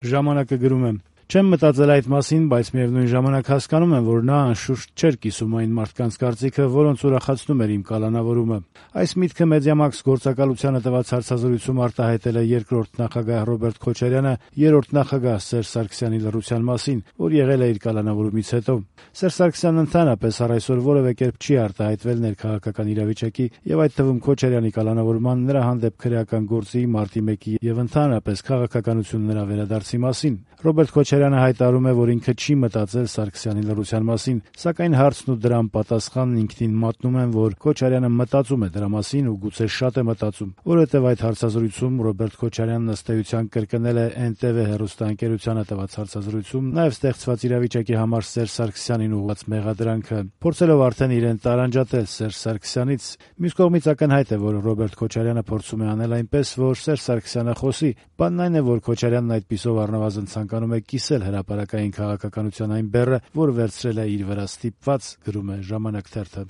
Ժամանակը գրում է. «Չեմ մտածել այդ մասին, բայց միևնույն ժամանակ հասկանում եմ, որ նա անշուշտ չէր կիսում այն մարդկանց կարծիքը, որոնց ուրախացնում էր իմ կալանավորումը։ Այս միտքը Մեդիամաքս գործակալությանը տված հարցազրույցում արտահայտել է երկրորդ նախագահ Ռոբերտ Քոչարյանը երրորդ նախագահ Սերժ Սարգսյանի լռության մասին, որ եղել է իր կալանավորումից հետո։ Սերժ Սարգսյանն ընդհանրապես առ այսօր որևէ կերպ չի արտահայտվել ներքաղաքական իրավիճակի եւ այդ թվում Քոչարյանի կալանավորման, նրա հանդեպ քրեական գործի, մարտի 1-ի եւ ընդհանրապես քաղաքականություն նրա վերադարձի մասին։ Ռոբերտ Քոչարյանը հայտարարում է, որ ինքը չի մտածել Սարգսյանի լռության մասին, սակայն հարցն ու դրան պատասխանն ինքնին մատնում են, որ Քոչարյանը մտածում է դրա մասին ու գուցե շատ է մտածում, որովհետև այդ հարցազրույցում Ռոբերտ Քոչարյանն ըստ էության կրկնել է NTV հեռուստաընկերությանը տված հարցազրույցում նաև ստեղծված իրավիճակի համար Սերժ Սարգսյանին ուղղված մեղադրանքը, փորձելով արդեն իրեն տարանջատել Սերժ Սարգսյանից։ Մյուս կողմից ակնհայտ է, որ Ռոբերտ Քոչարյանը փորձում է անել այնպես, որ Սերժ Սարգսյանը խոսի։ Բանն այն է, որ Քոչարյանն այդպիսով առնվազն ցանկանում է կիսել հրապարակային քաղաքականության այն բեռը, որ վերցրել է իր վրա ստիպված, գրում է «Ժամանակ» թերթը։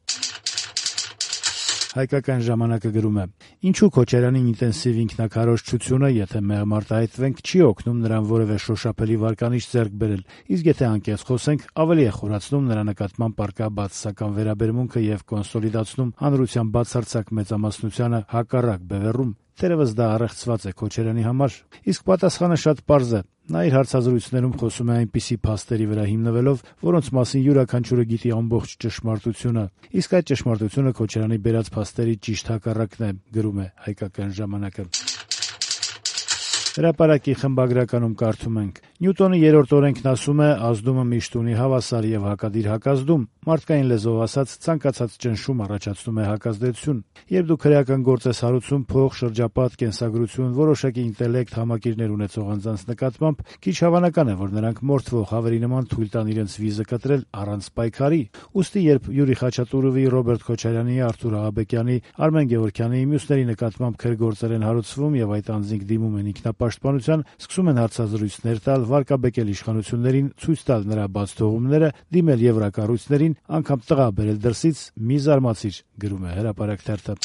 Հայկական ժամանակը գրում է. «Ինչու Քոչարյանին ինտենսիվ ինքնակարոզչությունը, եթե մեղմ արտահայտվենք, չի օգնում նրան որևէ շոշափելի վարկանիշ ձեռք բերել, իսկ եթե անկեղծ խոսենք, ավելի է խորացնում նրա նկատմամբ առկա բացասական վերաբերմունքը եւ կոնսոլիդացնում հանրության բացարձակ մեծամասնությանը հակառակ բևեռում։ Թերևս դա առեղծված է Քոչարյանի համար։ Իսկ պատասխանը շատ պարզ է։ Նա իր հարցազրույցներում խոսում է այնպիսի փաստերի վրա հիմնվելով, որոնց մասին յուրաքանչյուրը գիտի ամբողջ ճշմարտությունը, իսկ այդ ճշմարտությունը Քոչարյանի բերած փաստերի ճիշտ հակառակն է», գրում է «Հայկական ժամանակը»։ Հրապարակի խմբագրականում կարդում ենք. «Նյուտոնի երրորդ օրենքն ասում է՝ ազդումը միշտ ունի հավասար եւ հակադիր հակազդում։ Մարդկային լեզվով ասած, ցանկացած ճնշում առաջացնում է հակազդեցություն։ Երբ դու քրեական գործ ես հարուցում փող, շրջապատ, կենսագրություն, որոշակի ինտելեկտ, համակիրներ ունեցող անձանց նկատմամբ, քիչ հավանական է, որ նրանք մորթվող հավերի նման թույլ տան իրենց վիզը կտրել առանց պայքարի։ Ուստի երբ Յուրի Խաչատուրովի, Ռոբերտ Քոչարյանի, Արթուր Աղաբեկյանի, Արմեն Գևորգյանի, մյուսների նկատմամբ քրգործեր են հարուցվում եւ այդ անձինք դիմում են ինքնապաշտպանության, սկսում են հարցազրույցներ տալ, վարկաբեկել իշխանություններին, ցույց տալ նրա բաց թողումները, դիմել եվրակառույցներին, անգամ տղա բերել դրսից, մի զարմացիր», գրում է «Հրապարակ» թերթը։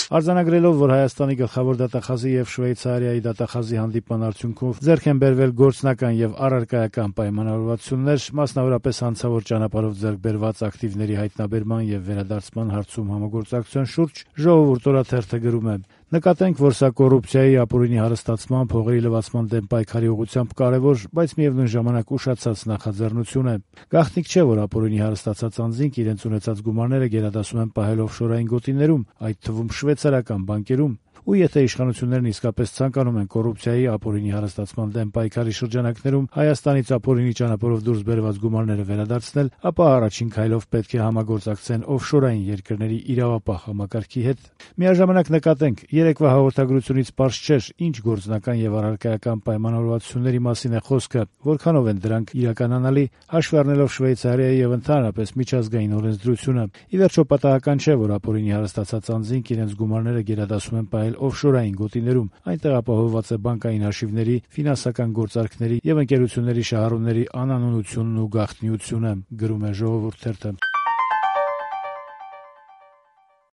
Արձանագրելով, որ Հայաստանի գլխավոր դատախազի եւ Շվեյցարիայի դատախազի հանդիպման արդյունքով ձեռք են բերվել գործնական եւ առարկայական պայմանավորվածություններ, մասնավորապես հանցավոր ճանապարհով ձեռք բերված ակտիվների հայտնաբերման եւ վերադարձման հարցում համագործակցության շուրջ, Ժողովուրդ օրաթերթը գրում է. «Նկատենք, որ սա կոռուպցիայի, ապօրինի հարստացման, փողերի լվացման դեմ պայքարի ուղղությամբ կարևոր, բայց միևնույն ժամանակ ուշացած նախաձեռնություն է։ Գաղտնիք չէ, որ ապօրինի հարստացած անձինք իրենց ունեցած գումարները գերադասում են պահել օֆշորային գոտիներում, այդ թվում շվեյցարական բանկերում։ Ու եթե իշխանություններն իսկապես ցանկանում են կոռուպցիայի, ապօրինի հարստացման դեմ պայքարի շրջանակներում Հայաստանից ապօրինի ճանապարհով դուրս բերված գումարները վերադարձնել, ապա առաջին քայլով պետք է համագործակցեն օֆշորային երկրների իրավապահ համակարգի հետ։ Միաժամանակ նկատենք, երեկվա հաղորդագրությունից պարզ չէր, ինչ գործնական եւ առարկայական պայմանավորվածությունների մասին է խոսքը, որքանով են դրանք իրականանալի, հաշվի առնելով Շվեյցարիայի եւ ընդհանրապես միջազգային օրենսդրությունը։ Ի վերջո պատահական չէ, որ ապօրինի հարստացած անձինք իրենց գումարները գերադասում են պահել օֆշորային գոտիներում, այնտեղ ապահովված է բանկային հաշիվների, ֆինանսական գործարքների եւ ընկերությունների շահառուների անանունությունն ու գաղտնիությունը», գրում է Ժողովուրդ թերթը։